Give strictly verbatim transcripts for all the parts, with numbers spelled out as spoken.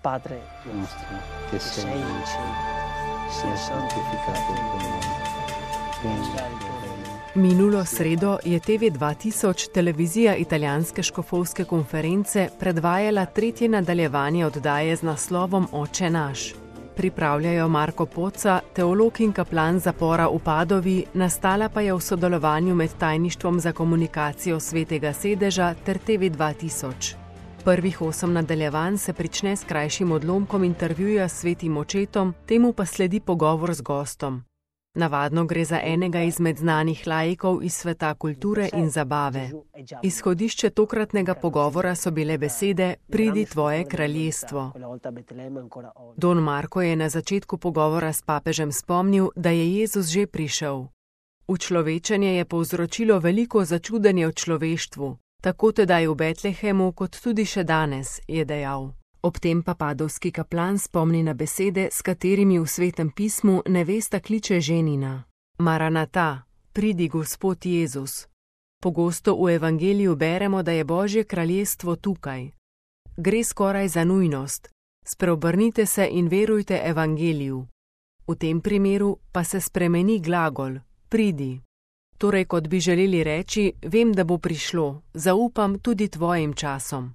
Padre nostro, che sei sei in cielo, sia santificato il tuo nome. Venga il tuo regno. Minulo sredo je T V dva tisoč, televizija italijanske škofovske konference, predvajala tretje nadaljevanje oddaje z naslovom Oče naš. Pripravljajo Marko Poca, teolog in kaplan zapora v Padovi, nastala pa je v sodelovanju med Tajništvom za komunikacijo Svetega sedeža ter T V dva tisoč. Prvih osem nadaljevanj se prične s krajšim odlomkom intervjuja s svetim očetom, temu pa sledi pogovor z gostom. Navadno gre za enega izmed znanih laikov iz sveta kulture in zabave. Izhodišče tokratnega pogovora so bile besede "Pridi tvoje kraljestvo". Don Marko je na začetku pogovora s papežem spomnil, da je Jezus že prišel. Učlovečenje je povzročilo veliko začudenje v človeštvu, tako tedaj v Betlehemu kot tudi še danes, je dejal. Ob tem pa padovski kaplan spomni na besede, s katerimi v Svetem pismu nevesta kliče ženina. Maranata, pridi Gospod Jezus. Pogosto v evangeliju beremo, da je Božje kraljestvo tukaj. Gre skoraj za nujnost. Spreobrnite se in verujte evangeliju. V tem primeru pa se spremeni glagol, pridi. Torej, kot bi želeli reči, vem, da bo prišlo, zaupam tudi tvojim časom.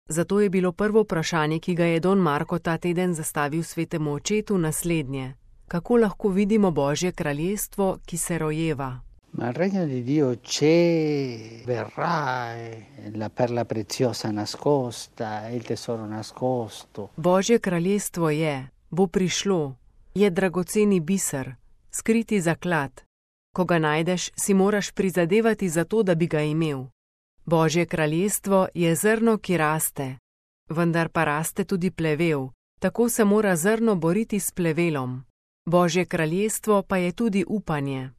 Zato je bilo prvo vprašanje, ki ga je Don Marko ta teden zastavil Svetemu očetu, naslednje. Kako lahko vidimo Božje kraljestvo, ki se rojeva? Ma il regno di Dio c'è, verrà, è la perla preziosa nascosta, è il tesoro nascosto. Božje kraljestvo je, bo prišlo, je dragoceni biser, skriti zaklad. Ko ga najdeš, si moraš prizadevati za to, da bi ga imel. Božje kraljestvo je zrno, ki raste, vendar pa raste tudi plevel, tako se mora zrno boriti s plevelom. Božje kraljestvo pa je tudi upanje.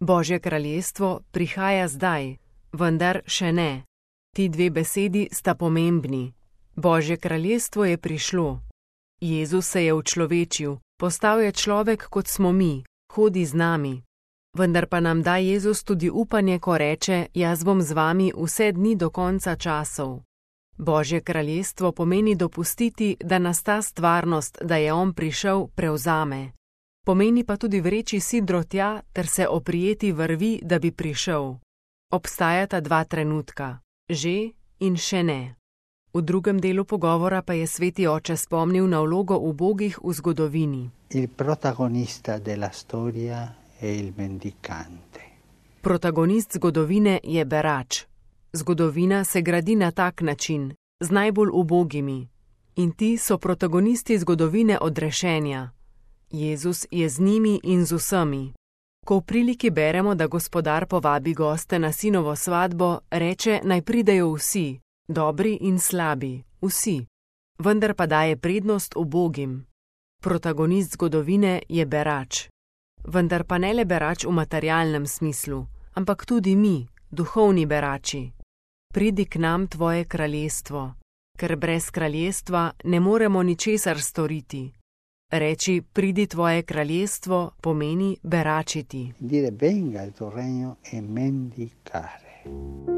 Božje kraljestvo prihaja zdaj, vendar še ne. Ti dve besedi sta pomembni. Božje kraljestvo je prišlo. Jezus se je učlovečil, postal je človek, kot smo mi, hodi z nami. Vendar pa nam da Jezus tudi upanje, ko reče, jaz bom z vami vse dni do konca časov. Božje kraljestvo pomeni dopustiti, da nas ta stvarnost, da je on prišel, prevzame. Pomeni pa tudi vreči sidro tja ter se oprijeti vrvi, da bi prišel. Obstajata dva trenutka, že in še ne. V drugem delu pogovora pa je sveti oče spomnil na vlogo ubogih v zgodovini. Il protagonista della storia è il mendicante. Protagonist zgodovine je berač. Zgodovina se gradi na tak način, z najbolj ubogimi. In ti so protagonisti zgodovine odrešenja. Jezus je z njimi in z vsemi. Ko v priliki beremo, da gospodar povabi goste na sinovo svatbo, reče, naj pridejo vsi, dobri in slabi, vsi. Vendar pa daje prednost ubogim. Protagonist zgodovine je berač. Vendar pa ne le berač v materialnem smislu, ampak tudi mi, duhovni berači. Pridi k nam tvoje kraljestvo, ker brez kraljestva ne moremo ničesar storiti. Reči, pridi tvoje kraljestvo, pomeni beračiti. Dire venga il tuo regno e mendicare.